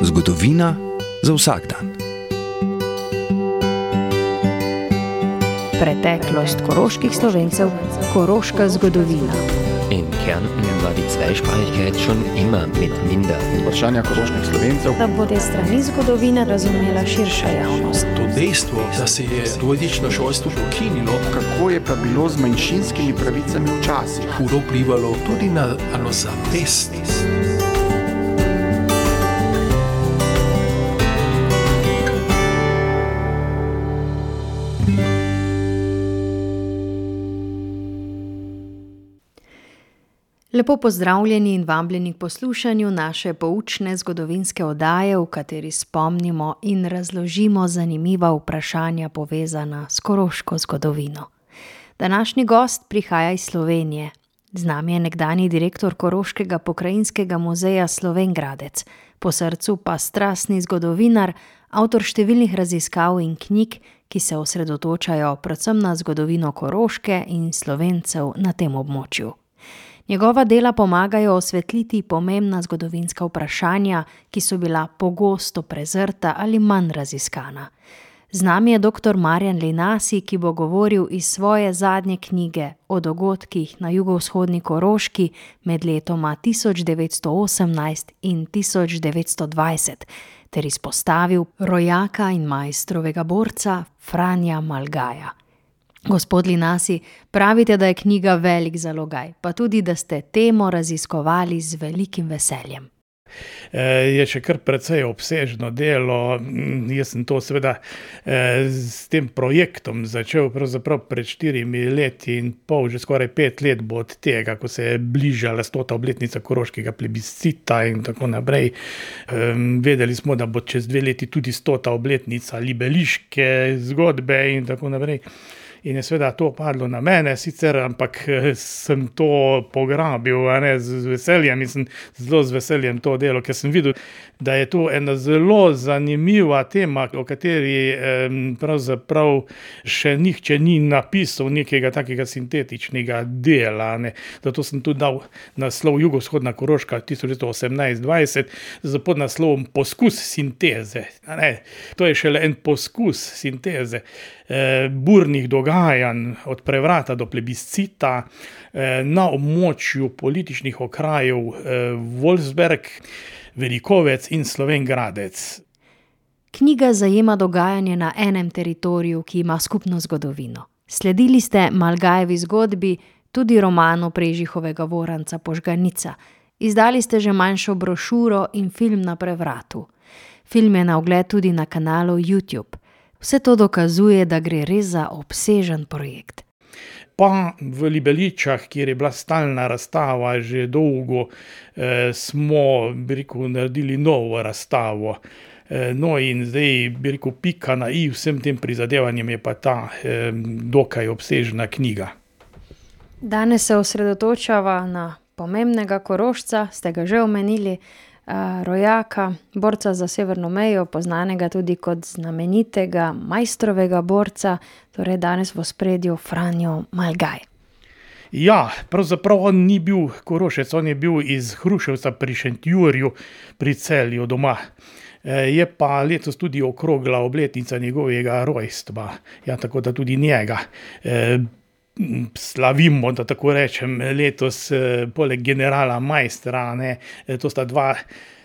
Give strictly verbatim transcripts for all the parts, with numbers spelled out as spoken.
Zgodovina za vsak dan. Preteklost koroških Slovencev, koroška zgodovina. In Kärnten war die Zweisprachigkeit schon immer mit minder. Vprašanja koroških Slovencev. Da bo te strani zgodovine razumela širša javnost. To dejstvo, da se je dvojezično šolstvo ukinilo, Kako je pa bilo z manjšinskimi pravicami včasih? hudo vplivalo tudi na samozavest. Lepo pozdravljeni in vabljeni k poslušanju naše poučne zgodovinske oddaje, v kateri spomnimo in razložimo zanimiva vprašanja povezana s koroško zgodovino. Današnji gost prihaja iz Slovenije. Z nami je nekdanji direktor Koroškega pokrajinskega muzeja Slovenj Gradec, po srcu pa strastni zgodovinar, avtor številnih raziskav in knjig, ki se osredotočajo predvsem na zgodovino Koroške in Slovencev na tem območju. Njegova dela pomagajo osvetliti pomembna zgodovinska vprašanja, ki so bila pogosto prezrta ali manj raziskana. Z nami je doktor Marjan Linasi, ki bo govoril iz svoje zadnje knjige o dogodkih na jugovzhodni Koroški med letoma tisoč devetsto osemnajst in tisoč devetsto dvajset, ter izpostavil rojaka in maestrovega borca Franja Malgaja. Gospod Linasi, pravite, da je knjiga velik zalogaj, pa tudi, da ste temo raziskovali z velikim veseljem. Je še kar precej obsežno delo. Jaz sem to seveda s tem projektom začel pravzaprav pred štirimi leti in pol, že skoraj pet let bo od tega, ko se je bližala stota obletnica koroškega plebiscita in tako naprej. Vedeli smo, da bo čez dve leti tudi stota obletnica libeliške zgodbe in tako naprej. In je seveda to padlo na mene, sicer, ampak sem to pograbil, a ne, z veseljem in sem zelo z veseljem to delo, ker sem videl, da je to ena zelo zanimiva tema, o kateri eh, pravzaprav še nihče ni napisal nekega takega sintetičnega dela, ne. Zato sem tudi dal naslov Jugovzhodna Koroška tisoč devetsto osemnajst dvajset z podnaslovom Poskus sinteze. A ne. To je šele en poskus sinteze eh, burnih dogajanj od prevrata do plebiscita eh, na območju političnih okrajev eh, Wolfsberg, Velikovec in Slovenj Gradec. Knjiga zajema dogajanje na enem teritoriju, ki ima skupno zgodovino. Sledili ste Malgajevi zgodbi, tudi romanu Prežihovega Voranca Požganica. Izdali ste že manjšo brošuro in film na prevratu. Film je na ogled tudi na kanalu YouTube. Vse to dokazuje, da gre res za obsežen projekt. Pa v Libeličah, kjer je bila stalna razstava že dolgo, eh, smo, bi rekel, naredili novo razstavo. Eh, no in zdaj, bi rekel, pika na i vsem tem prizadevanjem je pa ta eh, dokaj obsežna knjiga. Danes se osredotočava na pomembnega Korošca, ste ga že omenili, uh, rojaka, borca za severno mejo, poznanega tudi kot znamenitega maestrovega borca, torej danes v ospredju Franjo Malgaj. Ja, pravzaprav on ni bil Korošec, on je bil iz Hruševca pri Šentjurju, pri Celju doma. Je pa letos tudi okrogla obletnica njegovega rojstva, ja, tako da tudi njega e, slavimo, da tako rečem, letos e, poleg generala Maestra, ne, to sta dva,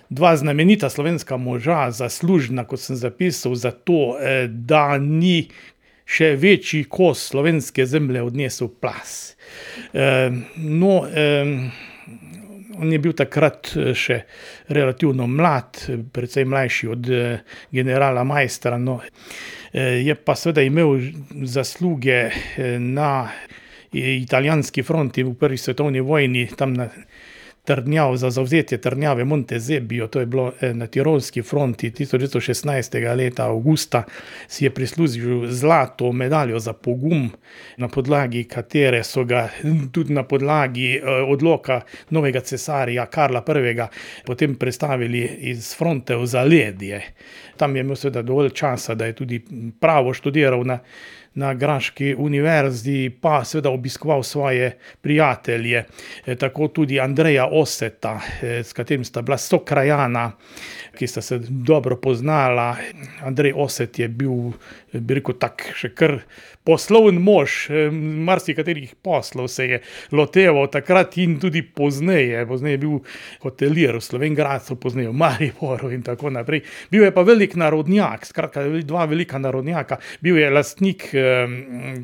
dva znamenita slovenska moža, zaslužna, kot sem zapisal, za to, e, da ni še večji kos slovenske zemlje odnesel plaz. E, no, e, on je bil takrat še relativno mlad, precej mlajši od generala Maestra, no. Je pa seveda imel zasluge na italijanski fronti v prvi svetovni vojni, tam na Trdnjav, za zavzetje Trdnjave Montezebio, to je bilo na tirolski fronti tisoč devetsto šestnajstega leta avgusta, si je prislužil zlato medaljo za pogum, na podlagi katere so ga tudi na podlagi odloka novega cesarja Karla prvega potem prestavili iz fronte v Zaledje. Tam je imel seveda dovolj časa, da je tudi pravo študiral na na Graški univerzi, pa seveda obiskoval svoje prijatelje, tako tudi Andreja Oseta, s katerim sta bila sokrajana, ki sta se dobro poznala. Andrej Oset je bil, bi rekel, tak še kar poslovni mož, marsikaterih poslov se je loteval takrat in tudi pozneje. Pozneje je bil hotelir v Slovenj Gradcu, pozneje v Mariboru in tako naprej. Bil je pa velik narodnjak, skratka dva velika narodnjaka. Bil je lastnik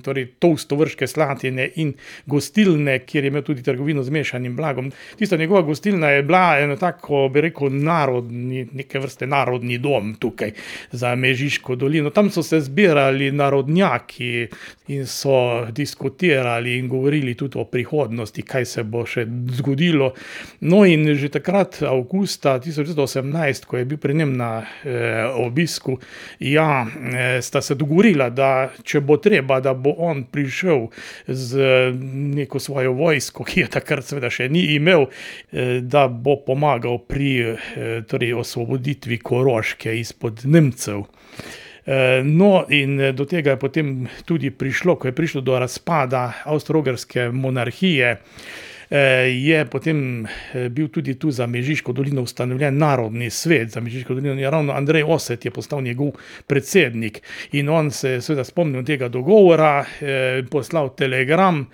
torej Tovstovrške Slatine in gostilne, kjer je imel tudi trgovino z mešanim blagom. Tista njegova gostilna je bila eno tako, bi rekel, narodni, neke vrste narodni dom tukaj za Mežiško dolino. Tam so se zbirali narodnjaki in so diskutirali in govorili tudi o prihodnosti, kaj se bo še zgodilo. No in že takrat, avgusta tisoč devetsto osemnajst, ko je bil pri njem na eh, obisku, ja, eh, sta se dogovorila, da če bo treba, da bo on prišel z neko svojo vojsko, ki je takrat seveda še ni imel, eh, da bo pomagal pri eh, torej osvoboditvi Koroške izpod Nemcev. No, in do tega je potem tudi prišlo, ko je prišlo do razpada Avstro-Ogrske monarhije, je potem bil tudi tu za Mežiško dolino ustanovljen narodni svet. Za Mežiško dolino je ravno Andrej Oset je postal njegov predsednik in on se je seveda spomnil tega dogovora, poslal telegram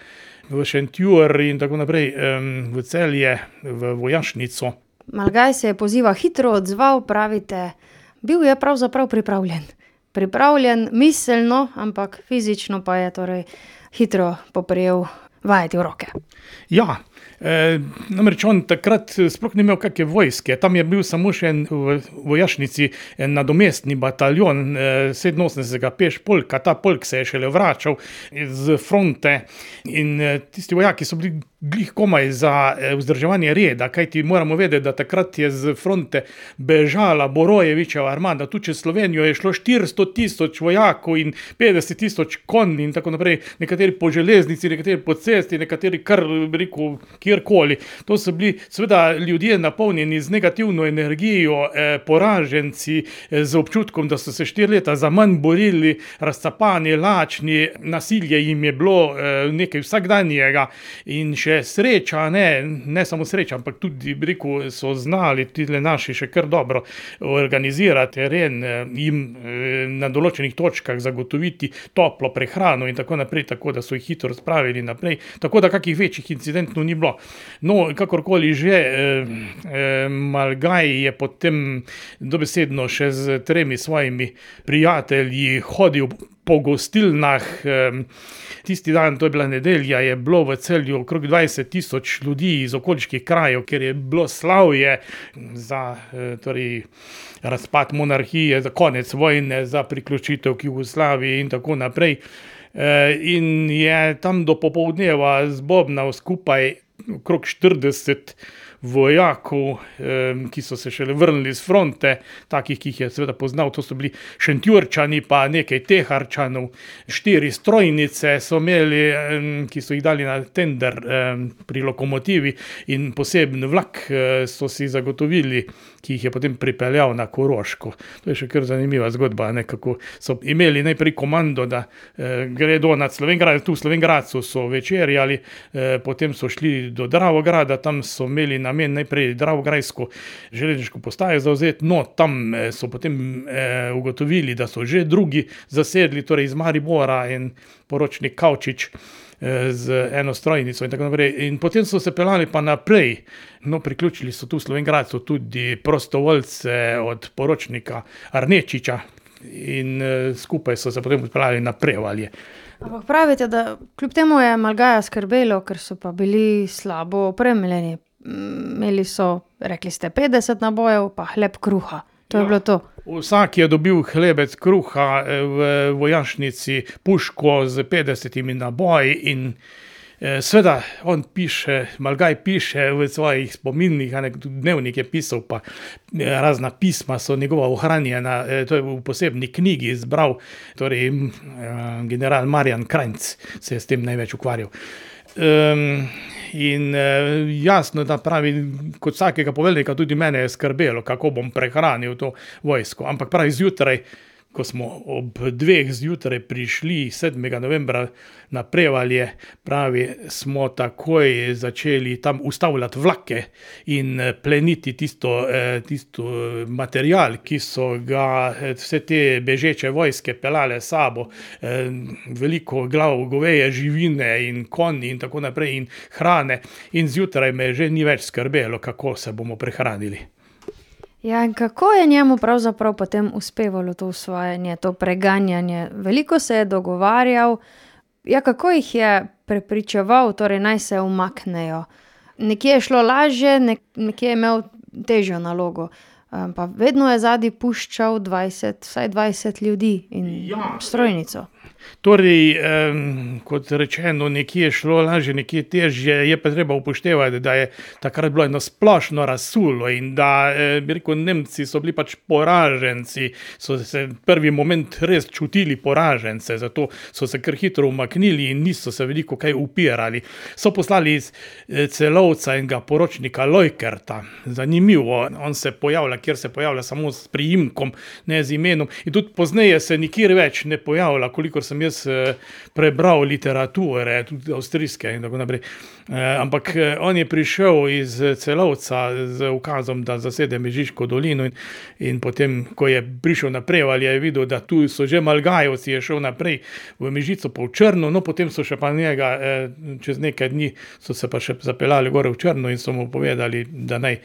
v Šentjur in tako naprej v Celje, v vojašnico. Malgaj se je poziva hitro odzval, pravite, bil je pravzaprav pripravljen. Pripravljen miselno, ampak fizično pa je torej hitro poprijel vajeti v roke. Ja, e, namreč on takrat sploh ni imel kakšne vojske, tam je bil samo še en v vojašnici en nadomestni bataljon e, sedeminosemdesetega pešpolka, ta polk se je šele vračal z fronte in e, tisti vojaki so bili glih komaj za vzdrževanje reda, kajti moramo vedeti, da takrat je z fronte bežala Borojevičeva armada, tu čez Slovenijo je šlo štiristo tisoč vojakov in petdeset tisoč konj in tako naprej, nekateri po železnici, nekateri po cesti, nekateri kar, rekel, kjerkoli. To so bili seveda ljudje napolnjeni z negativno energijo, eh, poraženci, eh, z občutkom, da so se štiri leta za manj borili, razcapani, lačni, nasilje jim je bilo eh, nekaj vsakdanjega in še sreča, ne, ne samo sreča, ampak tudi, rekel, so znali tudi naši še kar dobro organizirati teren, jim na določenih točkah zagotoviti toplo prehrano in tako naprej, tako da so jih hitro spravili naprej, tako da kakih večjih incidentov ni bilo. No, kakorkoli že, eh, Malgaj je potem dobesedno še z tremi svojimi prijatelji hodil po gostilnah. Tisti dan, to je bila nedelja, je bilo v Celju okrog dvajset tisoč ljudi iz okoliških krajev, ker je bilo slavje za torej, razpad monarhije, za konec vojne, za priključitev k Jugoslaviji in tako naprej. In je tam do popoldneva zbobnal skupaj okrog štirideset vojakov, ki so se šele vrnili z fronte, takih, ki jih je seveda poznal, to so bili Šentjurčani, pa nekaj Teharčanov, štiri strojnice so imeli, ki so jih dali na tender pri lokomotivi in poseben vlak so si zagotovili, ki jih je potem pripeljal na Koroško. To je še kar zanimiva zgodba, nekako so imeli najprej komando, da gredo nad Slovenj Gradec, tu v Slovenj Gradcu so večerjali, potem so šli do Dravograda, tam so imeli namen najprej Dravograjsko železniško postajo zavzeti, no tam so potem eh, ugotovili, da so že drugi zasedli, torej iz Maribora in poročnik Kavčič eh, z eno strojnico in tako naprej. In potem so se pelali pa naprej, no priključili so tu v Slovenj Gradcu tudi prostovoljce od poročnika Arnečiča in eh, skupaj so se potem pelali na Prevalje. Ampak pravite, da kljub temu je Malgaja skrbelo, ker so pa bili slabo opremljeni. Imeli so, rekli ste, petdeset nabojev, pa hleb kruha. To je ja bilo to. Vsak je dobil hlebec kruha v vojašnici, puško z petdesetimi naboji in eh, seveda on piše, Malgaj piše v svojih spominih, dnevnik je pisal, pa razna pisma so njegova ohranjena, eh, to je v posebni knjigi izbral, torej eh, general Marjan Krajnc se je s tem največ ukvarjal. Um, in uh, jasno, da pravi, kot vsakega poveljnika, tudi mene je skrbelo, kako bom prehranil to vojsko. Ampak pravi, zjutraj, ko smo ob dveh zjutraj prišli sedmega novembra na Prevalje, pravi, smo takoj začeli tam ustavljati vlake in pleniti tisto, tisto material, ki so ga vse te bežeče vojske pelale s sabo, veliko glav goveje živine in konji in tako naprej in hrane, in zjutraj me že ni več skrbelo, kako se bomo prehranili. Ja, in kako je njemu pravzaprav potem uspevalo to usvajanje, to preganjanje? Veliko se je dogovarjal, ja, kako jih je prepričeval, torej naj se umaknejo? Nekje je šlo lažje, nek- nekje je imel težjo nalogo, pa vedno je zadaj puščal dvajset, vsaj dvajset ljudi in Ja. strojnico. Torej, um, kot rečeno, nekje je šlo lažje, nekje težje, je pa treba upoštevati, da je takrat bilo eno splošno razsulo in da, eh, bi rekel, Nemci so bili pač poraženci, so se prvi moment res čutili poražence, zato so se kar hitro umaknili in niso se veliko kaj upirali. So poslali iz eh, Celovca enega poročnika Lojkerta, zanimivo, on se pojavlja, kjer se pojavlja samo s priimkom, ne z imenom, in tudi pozneje se nikjer več ne pojavlja, kolikor sem jaz eh, prebral literature, tudi avstrijske in tako naprej. Eh, ampak eh, on je prišel iz Celovca z ukazom, da zasede Mežiško dolino in, in potem, ko je prišel na Prevalje, je videl, da tu so že Malgajevci, je šel naprej v Mežico pa v Črno, no potem so še pa njega, eh, čez nekaj dni so se pa še zapeljali gore v Črno in so mu povedali, da naj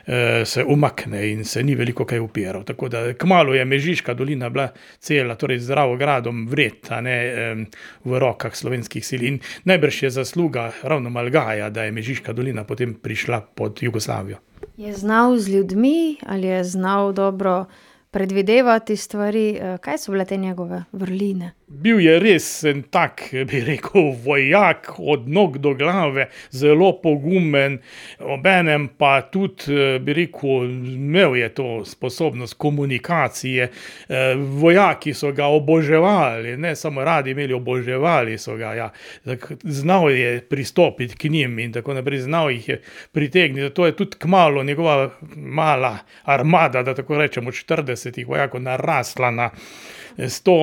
eh, se umakne in se ni veliko kaj upiral. Tako da kmalu je Mežiška dolina bila cela, torej z Dravogradom vred, a ne eh, v rokah slovenskih sil. In najbrž je zasluga ravno Malgaja, da je Mežiška dolina potem prišla pod Jugoslavijo. Je znal z ljudmi ali je znal dobro predvidevati stvari? Kaj so bile te njegove vrline? Bil je res en tak, bi rekel, vojak od nog do glave, zelo pogumen, obenem pa tudi, bi rekel, imel je to sposobnost komunikacije. Vojaki so ga oboževali, ne samo radi imeli, oboževali so ga, ja. Znal je pristopiti k njim in tako naprej, znal jih je pritegniti. To je tudi kmalu njegova mala armada, da tako rečemo, štiridesetih vojakov narasla na sto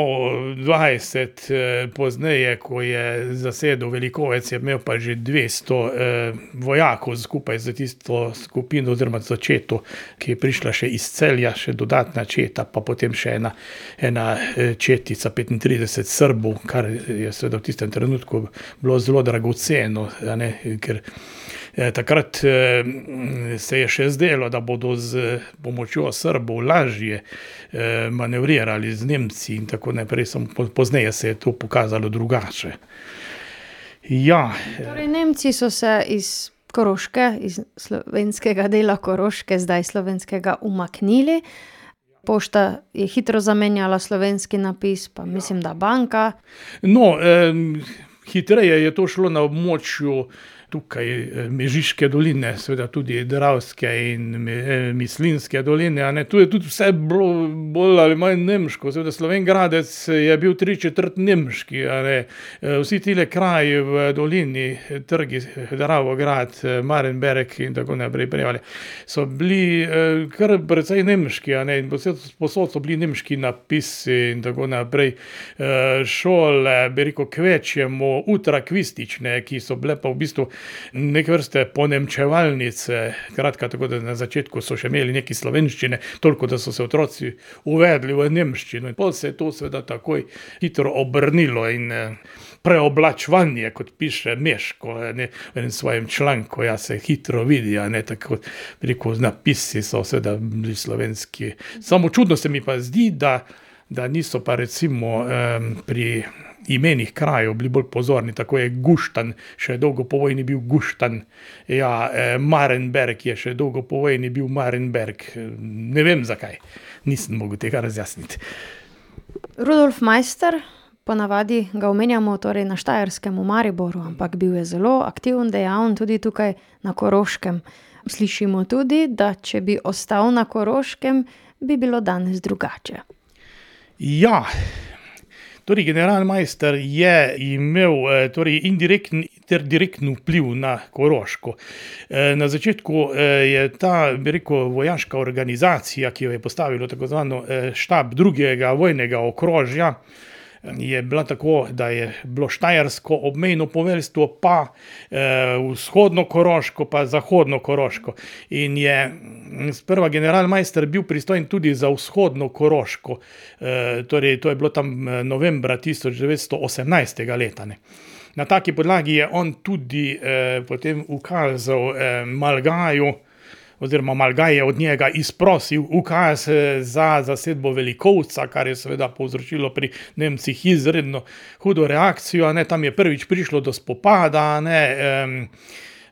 dvajset, eh, pozneje, ko je zasedel Velikovec, je imel pa že dvesto eh, vojakov skupaj za tisto skupino oziroma za četo, ki je prišla še iz Celja, še dodatna četa, pa potem še ena, ena četica petintrideset Srbov, kar je seveda v tistem trenutku bilo zelo dragoceno, a ne, ker eh, takrat eh, se je še zdelo, da bodo z pomočjo Srbov lažje eh, manevrirali z Nemci in tako naprej, samo pozneje se je to pokazalo drugače. Ja. Torej, Nemci so se iz Koroške, iz slovenskega dela Koroške, zdaj slovenskega, umaknili. Pošta je hitro zamenjala slovenski napis, pa mislim, da banka. No, eh, hitreje je to šlo na območju tukaj Mežiške doline, seveda tudi Dravske in Mislinjske doline, a ne, tu je tudi vse bilo bolj ali manj nemško, seveda Slovenjgradec je bil tri četrt nemški, a ne, vsi tile kraji v dolini, trgi, Dravograd, Marenberg in tako naprej, Prevalje, so bili kar precej nemški, a ne, in posod so bili nemški napisi in tako naprej, šole, bi rekel, kvečjemu ultrakvistične, ki so bile pa v bistvu neke vrste ponemčevalnice, kratka, tako da na začetku so še imeli neki slovenščine, toliko, da so se otroci uvedli v nemščino. In potem se je to seveda takoj hitro obrnilo in preoblačevanje, kot piše Meško, ne, v enem svojem članku, ja, se hitro vidi, a ne, tako, preko napisi so seveda bili slovenski. Samo čudno se mi pa zdi, da, da niso pa recimo um, pri imenih krajev bili bolj pozorni, tako je Guštan, še dolgo po vojni bil Guštan, ja, eh, Marenberg je še dolgo po vojni bil Marenberg, ne vem zakaj, nisem mogel tega razjasniti. Rudolf Meister, ponavadi ga omenjamo torej na Štajerskem v Mariboru, ampak bil je zelo aktiven, dejaven tudi tukaj na Koroškem. Slišimo tudi, da če bi ostal na Koroškem, bi bilo danes drugače. Ja, Torej, generalmajster je imel torej, indirekten ter direktni vpliv na Koroško. Na začetku je ta, bi rekel, vojaška organizacija, ki jo je postavilo tako zvano štab drugega vojnega okrožja, je bila tako, da je bilo štajersko obmejno poveljstvo, pa eh, vzhodno Koroško, pa zahodno Koroško. In je sprva generalmajster bil pristojen tudi za vzhodno Koroško. Eh, torej, to je bilo tam novembra tisoč devetsto osemnajstega leta. Ne. Na taki podlagi je on tudi eh, potem ukazal eh, Malgaju, oziroma Malgaj je od njega izprosil ukaz za zasedbo Velikovca, kar je seveda povzročilo pri Nemcih izredno hudo reakcijo. Ne, tam je prvič prišlo do spopada, ne, um,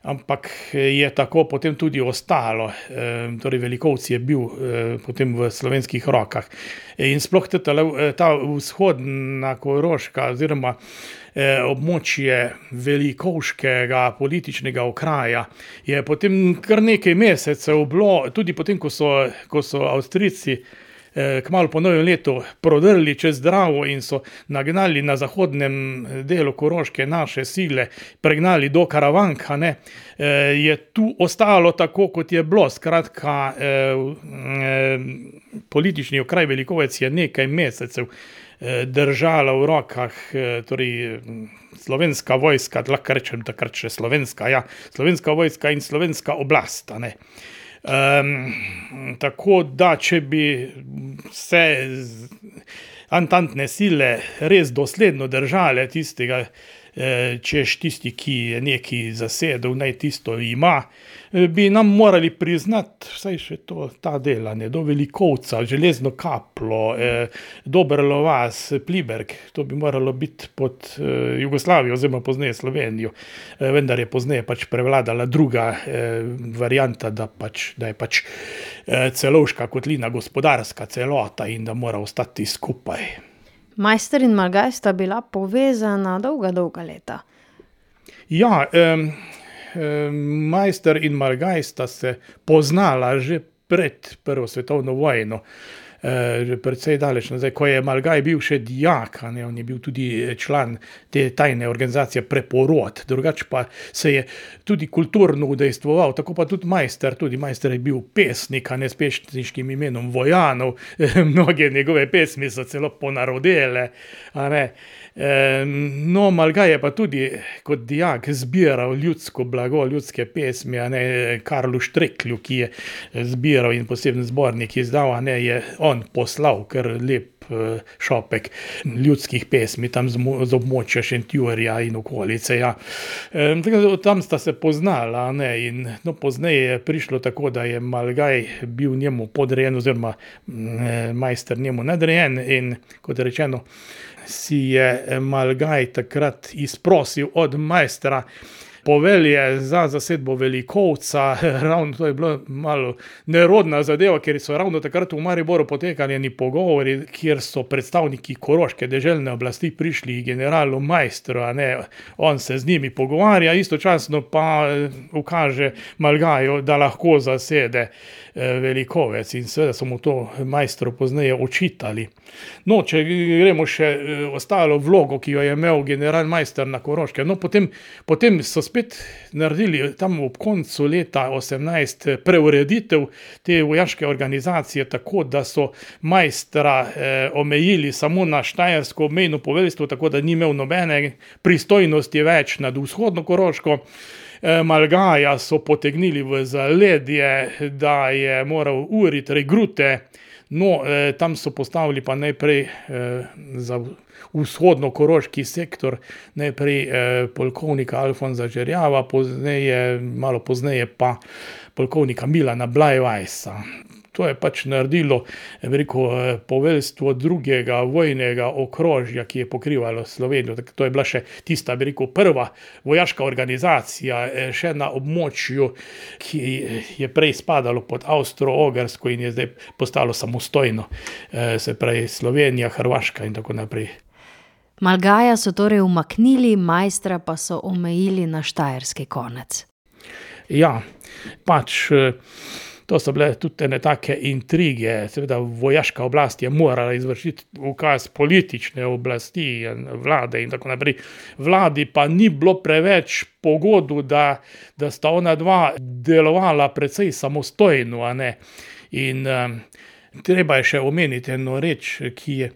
ampak je tako potem tudi ostalo. Um, torej Velikovci je bil um, potem v slovenskih rokah. In sploh ta, ta vzhodna Koroška oziroma območje velikovškega političnega okraja je potem kar nekaj mesecev bilo, tudi potem, ko so, ko so Avstrijci eh, kmalu po novem letu prodrli čez Dravo in so nagnali na zahodnem delu Koroške naše sile, pregnali do Karavanka, ne, eh, je tu ostalo tako, kot je bilo. Skratka, eh, eh, politični okraj Velikovec je nekaj mesecev držala v rokah, torej slovenska vojska, lahko rečem takrat še slovenska, ja, slovenska vojska in slovenska oblast. Ne. Um, tako da, če bi se antantne sile res dosledno držale tistega, češ tisti, ki je neki zasedel, naj tisto ima, bi nam morali priznati vsaj še to, ta delanje, do Velikovca, Železno Kaplo, eh, Dobrlo vas, Pliberg, to bi moralo biti pod eh, Jugoslavijo, oziroma pozneje Slovenijo, eh, vendar je pozneje pač prevladala druga eh, varianta, da, pač, da je pač eh, Celovška kotlina gospodarska celota in da mora ostati skupaj. Majster in Malgaj sta bila povezana dolga, dolga leta. Ja, um, um, Majster in Malgaj sta se poznala že pred Prvo svetovno vojno. Že precej daleč nazaj, ko je Malgaj bil še dijak, ne, on je bil tudi član te tajne organizacije Preporod, drugače pa se je tudi kulturno udejstvoval, tako pa tudi Majster, tudi Majster je bil pesnik, a ne, s pesniškim imenom Vojanov, mnoge njegove pesmi so celo ponarodele, a ne. No, Malgaj je pa tudi kot dijak zbiral ljudsko blago, ljudske pesmi, a ne, Karlu Štreklju, ki je zbiral in poseben zbornik izdal, a ne, je on poslal kar lep šopek ljudskih pesmi tam z, z območja Šentjurja in okolice, ja. E, tam sta se poznala, ne, in no, pozneje je prišlo tako, da je Malgaj bil njemu podrejen, oziroma e, Majster njemu nadrejen in, kot rečeno, si je Malgaj takrat izprosil od Majstra povelje za zasedbo Velikovca. Ravno to je bilo malo nerodna zadeva, ker so ravno takrat v Mariboru potekali eni pogovori, kjer so predstavniki koroške deželne oblasti prišli generalu Majstru, a ne, on se z njimi pogovarja, istočasno pa ukaže Malgaju, da lahko zasede Velikovec in seveda so mu to Majstru pozneje očitali. No, če gremo še ostalo vlogo, ki jo je imel general Majster na Koroške, no, potem, potem so spet naredili tam ob koncu leta osemnajst preureditev te vojaške organizacije, tako da so Majstra eh, omejili samo na štajersko obmejno poveljstvo, tako da ni imel nobene pristojnosti več nad vzhodno Koroško. Malgaja so potegnili v zaledje, da je moral uriti regrute, no, eh, tam so postavili pa najprej eh, za vzhodno-koroški sektor, najprej eh, polkovnika Alfonza Žerjava, pozneje, malo pozneje pa polkovnika Milana Blajvajsa. To je pač naredilo, veliko, poveljstvo drugega vojnega okrožja, ki je pokrivalo Slovenijo. To je bila še tista, veliko, prva vojaška organizacija, še na območju, ki je prej spadalo pod Avstro-Ogrsko in je zdaj postalo samostojno, se pravi Slovenija, Hrvaška in tako naprej. Malgaja so torej umaknili, Majstra pa so omejili na štajerski konec. Ja, pač To so bile tudi ene take intrige, seveda vojaška oblast je morala izvršiti ukaz politične oblasti, vlade in tako naprej. Vladi pa ni bilo preveč pogodu, da, da sta ona dva delovala precej samostojno, a ne. In um, treba je še omeniti eno reč, ki je,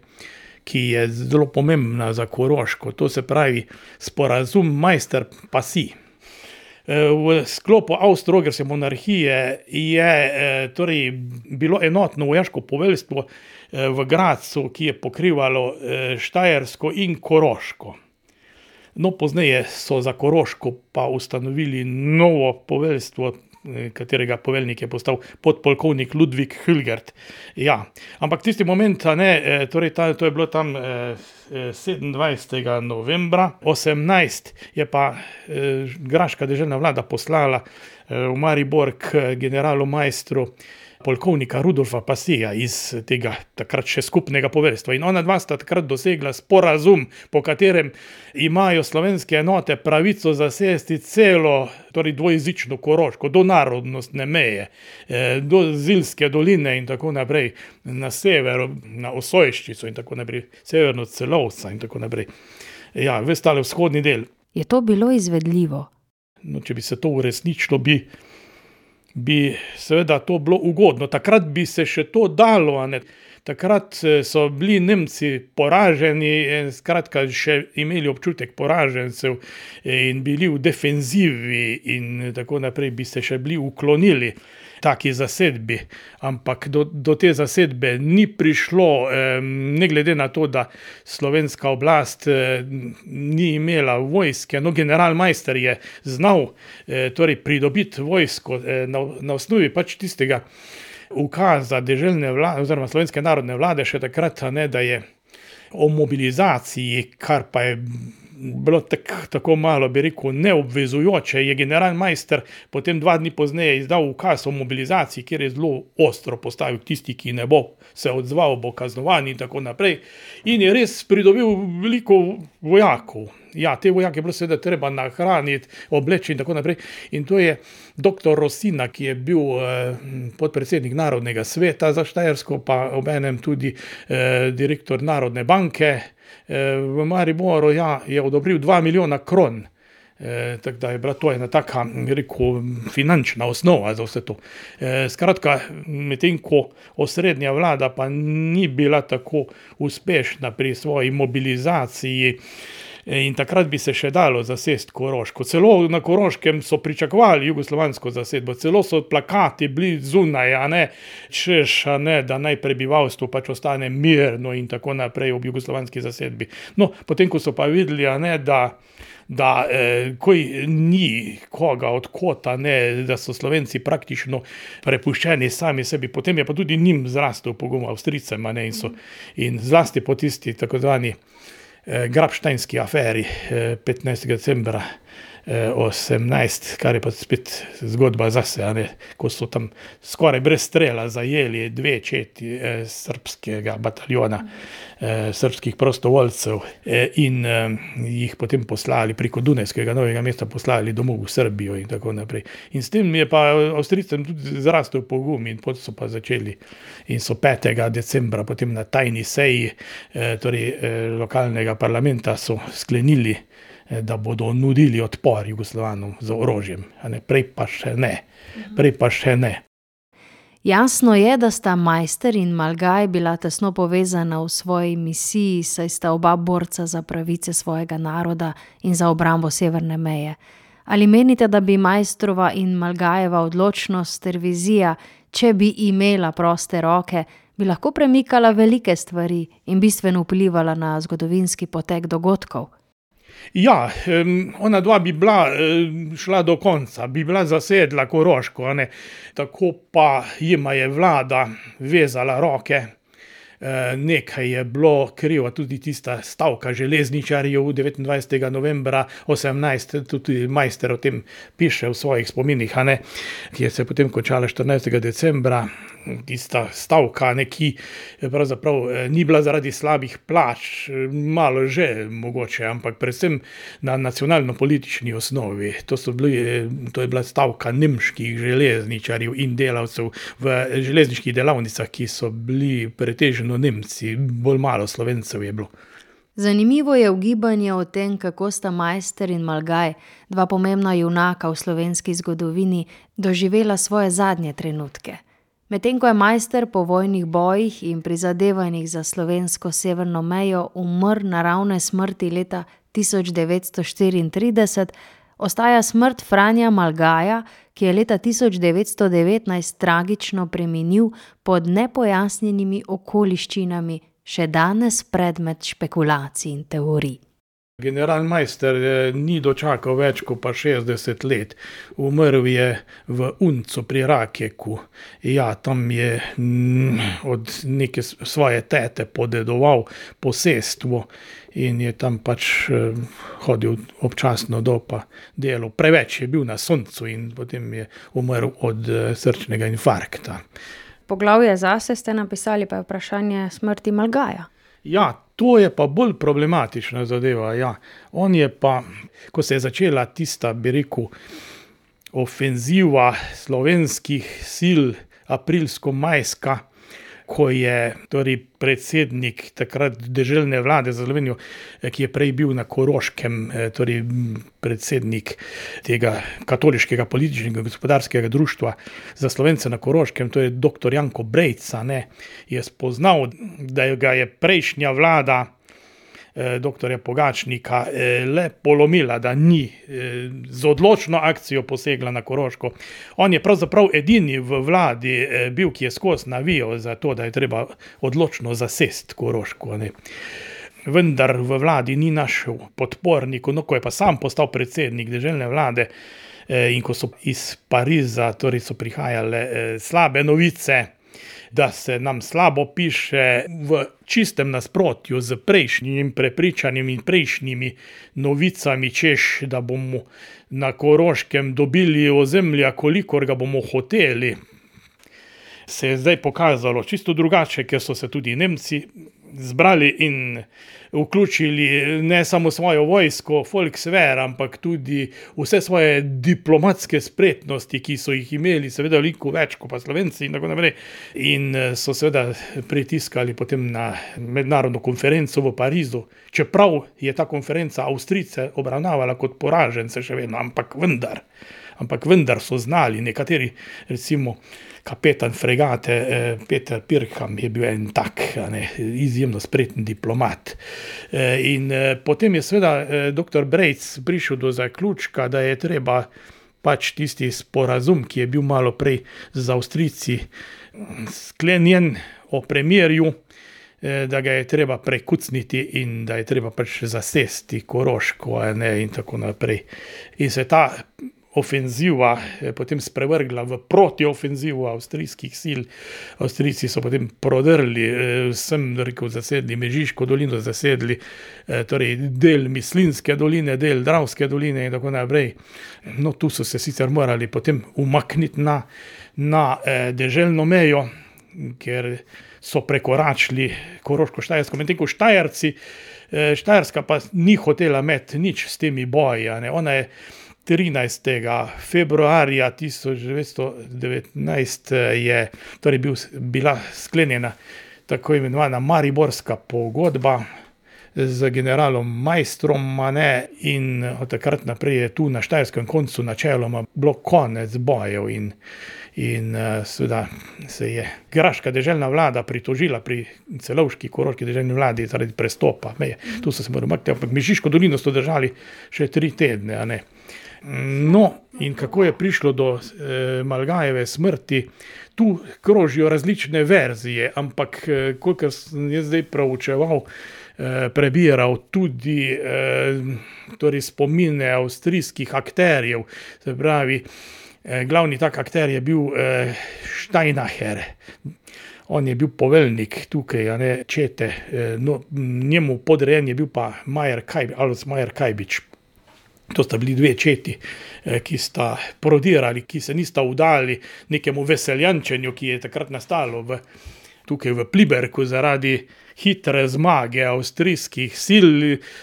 ki je zelo pomembna za Koroško, to se pravi sporazum Meister-Passy. V sklopu Avstro-Ogrske monarhije je torej bilo enotno vojaško poveljstvo v Gradcu, ki je pokrivalo Štajersko in Koroško. No, pozneje so za Koroško pa ustanovili novo poveljstvo, katerega poveljnik je postal podpolkovnik Ludvik Hülgert. Ja, ampak tisti moment, ne, torej ta, to je bilo tam eh, sedemindvajsetega novembra osemnajst, je pa eh, graška deželna vlada poslala eh, v Maribor k generalu majstru polkovnika Rudolfa Pasija iz tega takrat še skupnega poveljstva. In ona dva sta takrat dosegla sporazum, po katerem imajo slovenske enote pravico zasesti celo, torej dvojezično Koroško, do narodnostne meje, do Zilske doline in tako naprej, na severu, na Osojščico in tako naprej, severno Celovca in tako naprej. Ja, ves tale vzhodni del. Je to bilo izvedljivo? No, če bi se to uresničilo, bi bi seveda to bilo ugodno. Takrat bi se še to dalo, a ne. Takrat so bili Nemci poraženi, skratka še imeli občutek poražencev in bili v defenzivi in tako naprej, bi se še bili uklonili taki zasedbi, ampak do, do te zasedbe ni prišlo, ne glede na to, da slovenska oblast ni imela vojske. No, general Meister je znal torej pridobiti vojsko na, na osnovi pač tistega ukaza deželne vlade oziroma slovenske narodne vlade še takrat, ne, da je o mobilizaciji, kar pa je bilo tak, tako malo, bi rekel, neobvezujoče, je general Meister potem dva dni pozneje izdal ukaz o mobilizaciji, kjer je zelo ostro postavil tisti, ki ne bo se odzval, bo kaznovan in tako naprej. In je res pridobil veliko vojakov. Ja, te vojake je bilo seveda treba nahraniti, obleči in tako naprej. In to je doktor Rosina, ki je bil eh, podpredsednik Narodnega sveta za Štajersko, pa obenem tudi eh, direktor Narodne banke eh, v Mariboru, ja, je odobril dva milijona kron. Eh, tako da je bila to ena taka, rekel, finančna osnova za vse to. Eh, skratka, medtem ko osrednja vlada pa ni bila tako uspešna pri svoji mobilizaciji, in takrat bi se še dalo zasesti Koroško. Celo na Koroškem so pričakovali jugoslovansko zasedbo, celo so plakati bili zunaj, a ne, češ, a ne, da naj prebivalstvo pač ostane mirno in tako naprej ob jugoslovanski zasedbi. No, potem, ko so pa videli, a ne, da da eh, koj ni koga od kota, ne, da so Slovenci praktično prepuščeni sami sebi, potem je pa tudi njim zrastel pogum Avstrijcem, a ne, in, so, in zlasti po tisti tako zvani eh, Grabštajnski aferi eh, petnajstega decembra eh, osemnajst, kar je pa spet zgodba zase, a ne, ko so tam skoraj brez strela zajeli dve četi eh, srpskega bataljona, eh, srpskih prostovoljcev eh, in eh, jih potem poslali preko Dunajskega Novega mesta, poslali domov v Srbijo in tako naprej. In s tem je pa Avstrijcem tudi zrastel pogum in potem so pa začeli in so petega decembra potem na tajni seji eh, torej eh, lokalnega parlamenta so sklenili, da bodo nudili odpor Jugoslovanom z orožjem, a ne, prej pa še ne, prej pa še ne. Jasno je, da sta Meister in Malgaj bila tesno povezana v svoji misiji, saj sta oba borca za pravice svojega naroda in za obrambo severne meje. Ali menite, da bi Meistrova in Malgajeva odločnost ter vizija, če bi imela proste roke, bi lahko premikala velike stvari in bistveno vplivala na zgodovinski potek dogodkov? Ja, ona dva bi bila šla do konca, bi bila zasedla Koroško, a ne, tako pa jima je vlada vezala roke. Nekaj je bilo kriva tudi tista stavka železničarjev devetindvajsetega novembra osemnajst, tudi Meister o tem piše v svojih spominih, a ne, ki je se potem končala štirinajstega decembra tista stavka, ne, ki pravzaprav ni bila zaradi slabih plač, malo že mogoče, ampak predvsem na nacionalno-politični osnovi. To so bili, to je bila stavka nemških železničarjev in delavcev v železniških delavnicah, ki so bili pretežno Nemci, bolj malo Slovencev je bilo. Zanimivo je ugibanje o tem, kako sta Maister in Malgaj, dva pomembna junaka v slovenski zgodovini, doživela svoje zadnje trenutke. Medtem ko je Maister po vojnih bojih in prizadevanjih za slovensko severno mejo umrl naravne smrti leta tisoč devetsto štiriintrideset, ostaja smrt Franja Malgaja, ki je leta tisoč devetsto devetnajst tragično preminil pod nepojasnjenimi okoliščinami, še danes predmet špekulacij in teorij. General Maister ni dočakal več kot pa šestdeset let. Umrl je v Uncu pri Rakeku. Ja, tam je mm, od neke svoje tete podedoval posestvo in je tam pač eh, hodil občasno do pa delal. Preveč je bil na soncu in potem je umrl od eh, srčnega infarkta. Poglavje zase ste napisali, pa je vprašanje smrti Malgaja. Ja, to je pa bolj problematična zadeva, ja. On je pa, ko se je začela tista, bi rekel, ofenziva slovenskih sil aprilsko-majska, ko je torej predsednik takrat deželne vlade za Slovenijo, ki je prej bil na Koroškem, torej predsednik tega katoliškega političnega gospodarskega društva za Slovence na Koroškem, to je doktor Janko Brejca, ne, je spoznal, da ga je prejšnja vlada doktorja Pogačnika le polomila, da ni z odločno akcijo posegla na Koroško. On je pravzaprav edini v vladi bil, ki je skozi navijal za to, da je treba odločno zasesti Koroško, ne. Vendar v vladi ni našel podpornikov, no, ko je pa sam postal predsednik deželne vlade in ko so iz Pariza, torej so prihajale slabe novice, da se nam slabo piše v čistem nasprotju z prejšnjim prepričanjem in prejšnjimi novicami, češ, da bomo na Koroškem dobili ozemlja, kolikor ga bomo hoteli, se je zdaj pokazalo čisto drugače, ker so se tudi Nemci zbrali in vključili ne samo svojo vojsko, Volkswehr, ampak tudi vse svoje diplomatske spretnosti, ki so jih imeli, seveda veliko več kot pa Slovenci in tako naprej. In so seveda pritiskali potem na mednarodno konferenco v Parizu, čeprav je ta konferenca Avstrijce obravnavala kot poražence še vedno, ampak vendar, ampak vendar so znali nekateri, recimo kapetan fregate Peter Pirkham je bil en tak, ne, izjemno spreten diplomat. In potem je seveda doktor Brejc prišel do zaključka, da je treba pač tisti sporazum, ki je bil malo prej z Avstrijci sklenjen o premirju, da ga je treba prekucniti in da je treba pač zasesti Koroško, ne, in tako naprej. In se ta ofenziva potem sprevrgla v protiofenzivo avstrijskih sil. Avstrijci so potem prodrli, sem rekel, zasedli Mežiško dolino, zasedli torej del Mislinjske doline, del Dravske doline in tako naprej. No, tu so se sicer morali potem umakniti na, na deželno mejo, ker so prekoračili Koroško-Štajersko, medtem ko Štajerci, Štajerska pa ni hotela imeti nič s temi boji, ne. Ona je trinajstega februarja tisoč devetsto devetnajst je torej bil, bila sklenjena tako imenovana Mariborska pogodba z generalom Maistrom, ne, in od takrat naprej je tu na štajerskem koncu načeloma bilo konec bojev in In uh, seveda se je graška deželna vlada pritožila pri celovški koroški deželni vladi zaradi prestopa meje. Tu so se morali umakniti, ampak Mežiško dolino so držali še tri tedne, a ne. No, in kako je prišlo do eh, Malgajeve smrti, tu krožijo različne verzije, ampak eh, kolikor sem jaz zdaj proučeval, eh, prebiral tudi eh, torej spomine avstrijskih akterjev, se pravi, glavni tak akter je bil eh, Steinacher. On je bil poveljnik tukaj, a ne, čete. Eh, no, njemu podrejen je bil pa Majer Kajbič, Alois Majer Kajbič. To sta bili dve četi, ki sta prodirali, ki se nista vdali nekemu veseljančenju, ki je takrat nastalo v, tukaj v Pliberku zaradi hitre zmage avstrijskih sil,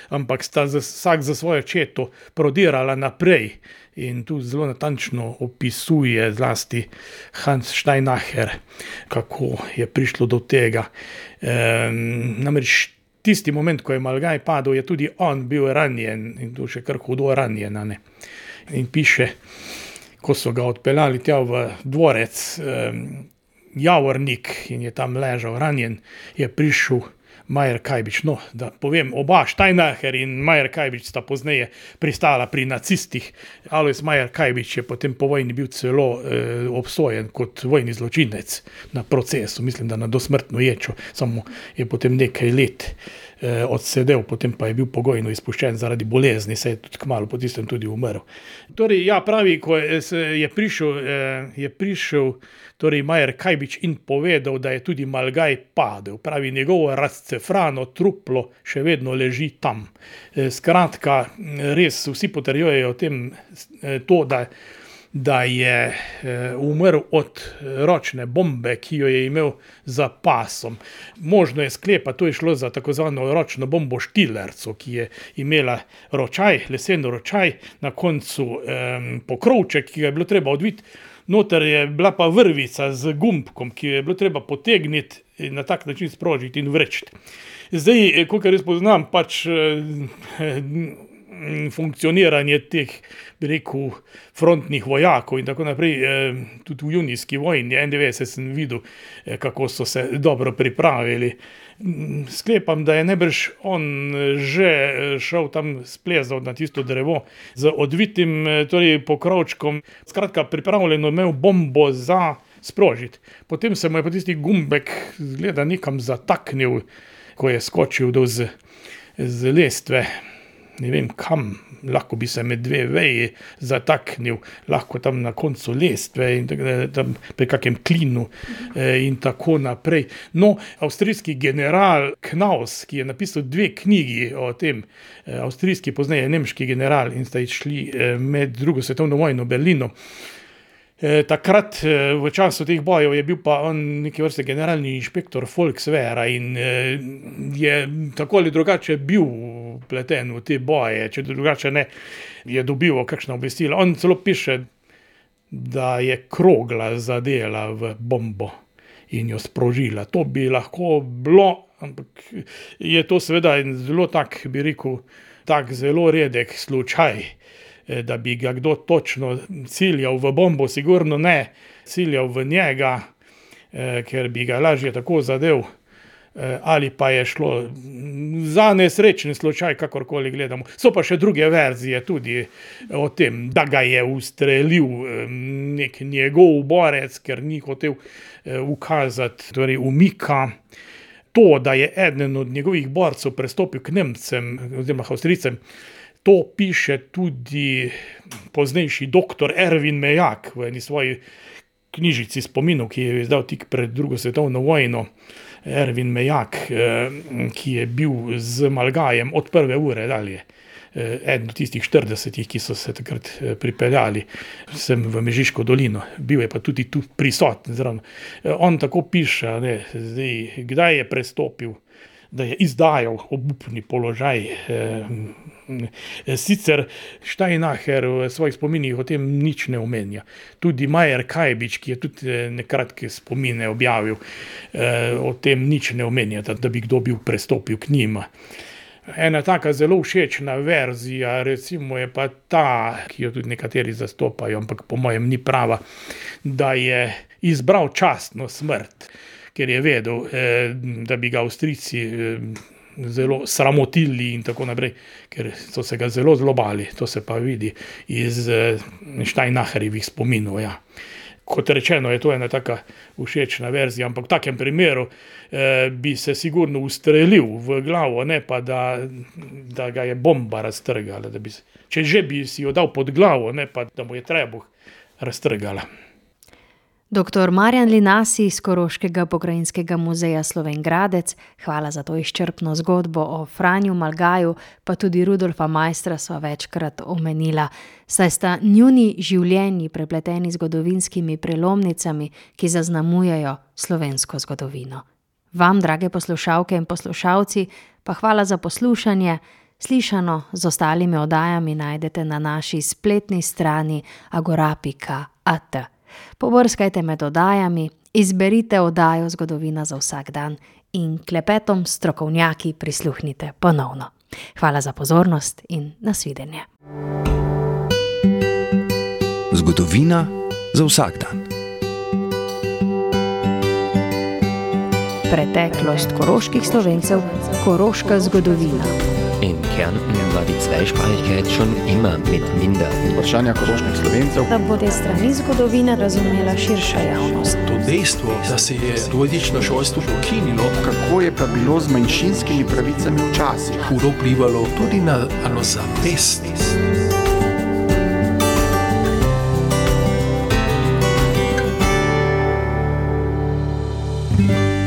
ampak sta za, vsak za svojo četo prodirala naprej. In tu zelo natančno opisuje zlasti Hans Steinacher, kako je prišlo do tega. E, namreč tisti moment, ko je Malgaj padel, je tudi on bil ranjen in tu še kar hudo ranjen. Ne? In piše, ko so ga odpeljali tja v dvorec eh, Javornik in je tam ležal ranjen, je prišel Majer Kajbič. No, da povem, oba, Steinacher in Majer Kajbič sta pozneje pristala pri nacistih. Alojz Majer Kajbič je potem po vojni bil celo eh, obsojen kot vojni zločinec na procesu, mislim, da na dosmrtno ječo, samo je potem nekaj let eh, odsedel, potem pa je bil pogojno izpuščen zaradi bolezni, se je tudi kmalu po tistem tudi umrl. Torej, ja, pravi, ko je, je prišel, eh, je prišel torej Majer Kajbič in povedal, da je tudi Malgaj padel. Pravi, njegovo razcefrano truplo še vedno leži tam. Skratka, res vsi potrjujejo o tem to, da, da je umrl od ročne bombe, ki jo je imel za pasom. Možno je sklepa, to je šlo za tako zvano ročno bombo Štilerco, ki je imela ročaj, lesen ročaj, na koncu eh, pokrovček, ki ga je bilo treba odviti. Noter je bila pa vrvica z gumbkom, ki jo je bilo treba potegniti in na tak način sprožiti in vrečiti. Zdaj, kolikor jaz poznam, pač eh, funkcioniranje teh, bi rekel, frontnih vojakov in tako naprej, eh, tudi v junijski vojni, enaindevetdeset sem videl, eh, kako so se dobro pripravili. Sklepam, da je najbrž on že šel tam splezal na tisto drevo z odvitim torej pokrovčkom. Skratka, pripravljeno imel bombo za sprožiti. Potem se mu je pa tisti gumbek zgleda nekam zataknil, ko je skočil do z, z lestve. Ne vem kam, lahko bi se med dve veji zataknil, lahko tam na koncu lestve in tam pri kakem klinu eh, in tako naprej. No, avstrijski general Knaus, ki je napisal dve knjigi o tem, eh, avstrijski pozneje nemški general in sta išli eh, med drugo svetovno vojno v Berlinu. E, takrat v času teh bojev je bil pa on neke vrste generalni inšpektor Volkswehra in e, je tako ali drugače bil pleten v te boje, če drugače ne, je dobival kakšna obvestila. On celo piše, da je krogla zadela v bombo in jo sprožila. To bi lahko bilo, ampak je to seveda zelo tak, bi rekel, tak zelo redek slučaj, da bi ga kdo točno ciljal v bombo, sigurno ne ciljal v njega, eh, ker bi ga lažje tako zadev, eh, ali pa je šlo za nesrečen slučaj, kakorkoli gledamo. So pa še druge verzije tudi o tem, da ga je ustrelil eh, nek njegov borec, ker ni hotel eh, ukazati, torej umika. To, da je eden od njegovih borcev prestopil k Nemcem, oziroma Avstrijcem, to piše tudi poznejši doktor Erwin Mejak v eni svoji knjižici spominov, ki je izdal tik pred drugo svetovno vojno. Erwin Mejak, ki je bil z Malgajem od prve ure dalje. Eden od tistih štiridesetih, ki so se takrat pripeljali sem v Mežiško dolino. Bil je pa tudi tu prisoten. Zravno. On tako piše, ne, zdaj, kdaj je prestopil, da je izdajal obupni položaj. Sicer Steinacher v svojih spominih o tem nič ne omenja. Tudi Majer Kajbič, ki je tudi nekratke spomine objavil, o tem nič ne omenja, da bi kdo bil prestopil k njima. Ena taka zelo všečna verzija, recimo je pa ta, ki jo tudi nekateri zastopajo, ampak po mojem ni prava, da je izbral častno smrt, ker je vedel, eh, da bi ga Avstrijci eh, zelo sramotili in tako naprej, ker so se ga zelo zlobali, to se pa vidi iz eh, Steinacherjevih spominov, ja. Kot rečeno, je to ena taka všečna verzija, ampak v takem primeru eh, bi se sigurno ustrelil v glavo, ne pa da, da ga je bomba raztrgala. Da bi, če že bi si jo dal pod glavo, ne pa da mu je trebuh raztrgala. doktor Marjan Linasi iz Koroškega pokrajinskega muzeja Slovenj Gradec, hvala za to izčrpno zgodbo o Franju Malgaju, pa tudi Rudolfa Maistra sva večkrat omenila, saj sta njuni življenji prepleteni zgodovinskimi prelomnicami, ki zaznamujejo slovensko zgodovino. Vam, drage poslušalke in poslušalci, pa hvala za poslušanje. Slišano z ostalimi oddajami najdete na naši spletni strani agora pika at. Pobrskajte med oddajami, izberite oddajo Zgodovina za vsak dan in klepetom strokovnjaki prisluhnite ponovno. Hvala za pozornost in nasvidenje. Zgodovina za vsak dan. Preteklost koroških Slovencev, koroška zgodovina. In Kärnten war die Zweisprachigkeit schon immer mit minder. Vprašanja koroških Slovencev. Da bo te strani zgodovine razumela širša javnost. To dejstvo, da se je dvojezično šolstvo ukinilo, Kako je pa bilo z manjšinskimi pravicami včasih? hudo vplivalo tudi na samozavest. thank you